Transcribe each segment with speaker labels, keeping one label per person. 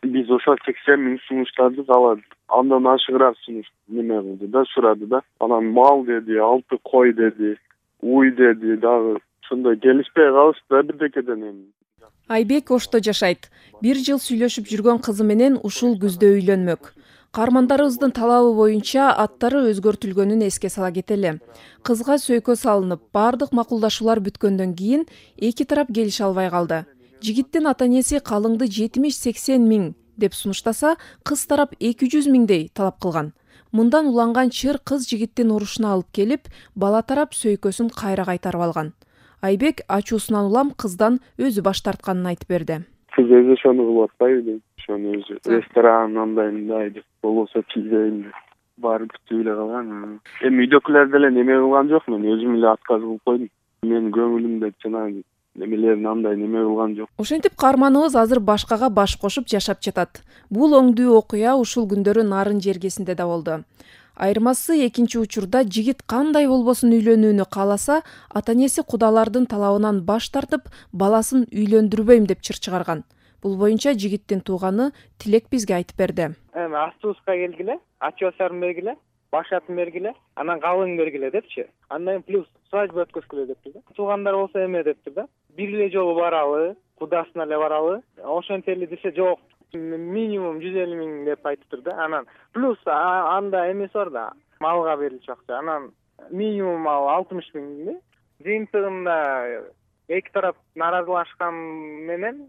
Speaker 1: Биз ошол 80 миң сунуштарды каладык. Андан ашыгыраак сунуш неме кылды да, сурады да. Анан мал деди, 6 кой деди, уй деди, дагы ошондой келишпей калышты да бирдекеден эми.
Speaker 2: Айбек Ошто жашайт. 1 жыл сүйлөшүп жүргөн кызы менен ушул күздө үйлөнмөк. Каармандарыбыздын талабы боюнча аттары өзгөртүлгөнүн эске сала кетели. Кызга сөйкө салынып, бардык макулдашуулар бүткөндөн кийин эки тарап келише албай калды. Жигиттин ата-энеси калыңды 70-80 миң деп сунуштаса, кыз тарап 200 миңдей талап кылган. Мындан уланган чыр кыз жигиттин урушуна алып келип, бала тарап сөйкөсүн кайра кайтарып алган. Айбек ачуусунан улам кыздан өзү баш тартканын айтып берди.
Speaker 1: Кыз өзү ошону кылып атпайбы дейм. Ошону өзү ресторан андай деп болбосо тийбейм деп барып бүтүп эле калган. Эми үйдөгүлөр деле неме кылган жок, мен өзүм эле отказ кылып койдум. Менин көңүлүмдө жанагы немелерин андай неме кылган жок.
Speaker 2: Ошентип каарманыбыз азыр башкага баш кошуп жашап жатат. Бул оңдуу окуя ушул күндөрү Нарын жергесинде да болду. Айырмасы экинчи учурда жигит кандай болбосун үйлөнүүнү кааласа, ата-энеси кудалардын талабынан баш тартып, баласын үйлөндүрбөйм деп чыр чыгарган. Бул боюнча жигиттин тууганы Тилек бизге айтып берди.
Speaker 3: Эми автобуска келгиле, ачуусарын бергиле, баш атын бергиле, анан калың бергиле депчи. Андан плюс свадьба өткөзгүлө дептир да. Туугандар болсо эме дептир да. Бир эле жолу баралы, кудасына эле баралы. Ошентели десе жок. Минимум 150 миң деп айтыптыр да. Анан плюс анда эмеси бар да, малга берилчү акча. Анан минимум 60 миң. Жыйынтыгында эки тарап нааразылашкан менен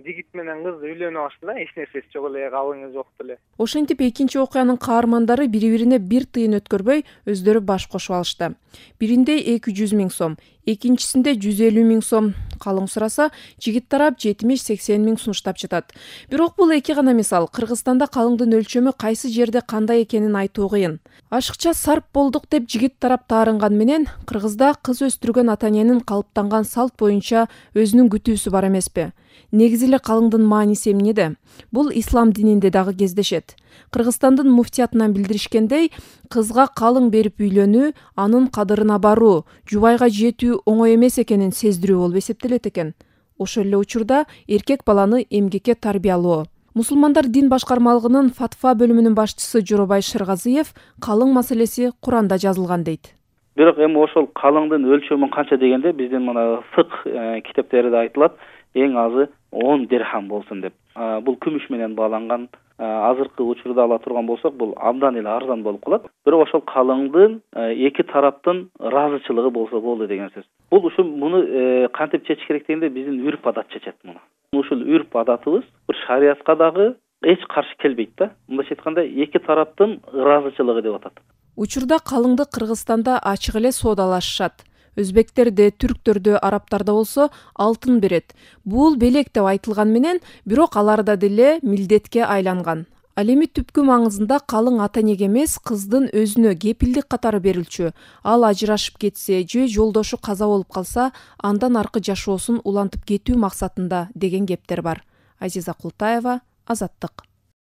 Speaker 3: жигит менен кыз үйлөнүп алышты да, эч нерсеси жок эле, калыңы жок деле.
Speaker 2: Ошентип экинчи окуянын каармандары бири-бирине бир тыйын өткөрбөй өздөрү баш кошуп алышты. Биринде 200 миң сом, экинчисинде 150 миң сом калың сураса, жигит тарап 70-80 миң сунуштап жатат. Бирок бул эки гана мисал. Кыргызстанда калыңдын өлчөмү кайсы жерде кандай экенин айтуу кыйын. Ашыкча сарп болдук деп жигит тарап таарынган менен, Кыргызда кыз өстүргөн ата-эненин калыптанган салт боюнча өзүнүн күтүүсү бар эмеспи? Негизи эле калыңдын мааниси эмнеде? Бул ислам дининде дагы кездешет. Кыргызстандын муфтиятынан билдиришкендей, кызга калың берип үйлөнүү, анын кадырына баруу, жубайга жетүү оңой эмес экенин сездирүү болуп эсептелет экен. Ошол эле учурда эркек баланы эмгекке тарбиялоо. Мусулмандар дин башкармалыгынын фатва бөлүмүнүн башчысы Жоробай Шыргазиев калың маселеси Куранда жазылган дейт.
Speaker 4: Бирок эми ошол калыңдын өлчөмү канча дегенде биздин мына фык китептерде айтылат, эң азы 10 дирхам болсун деп. Бул күмүш менен бааланган, азыркы учурда ала турган болсок, бул абдан эле арзан болуп калат. Бирок ошол калыңдын эки тараптын ыраазычылыгы болсо болду деген сөз. Бул ушу муну кантип чечиш керек дегенде биздин үрп адат чечет муну. Ушул үрп адатыбыз бир шариятка дагы эч каршы келбейт да. Мындайча айтканда эки тараптын ыраазычылыгы деп атат.
Speaker 2: Учурда калыңды Кыргызстанда ачык эле соодалашышат. Өзбектерде, түрктөрдө, арабтарда болсо алтын берет. Бул белек деп айтылган менен, бирок аларда деле милдетке айланган. Ал эми түпкү маңызында калың ата-энеге эмес, кыздын өзүнө кепилдик катары берилчү. Ал ажырашып кетсе же жолдошу каза болуп калса, андан аркы жашоосун улантып кетүү максатында деген кептер бар. Азиза Култаева, Азаттык.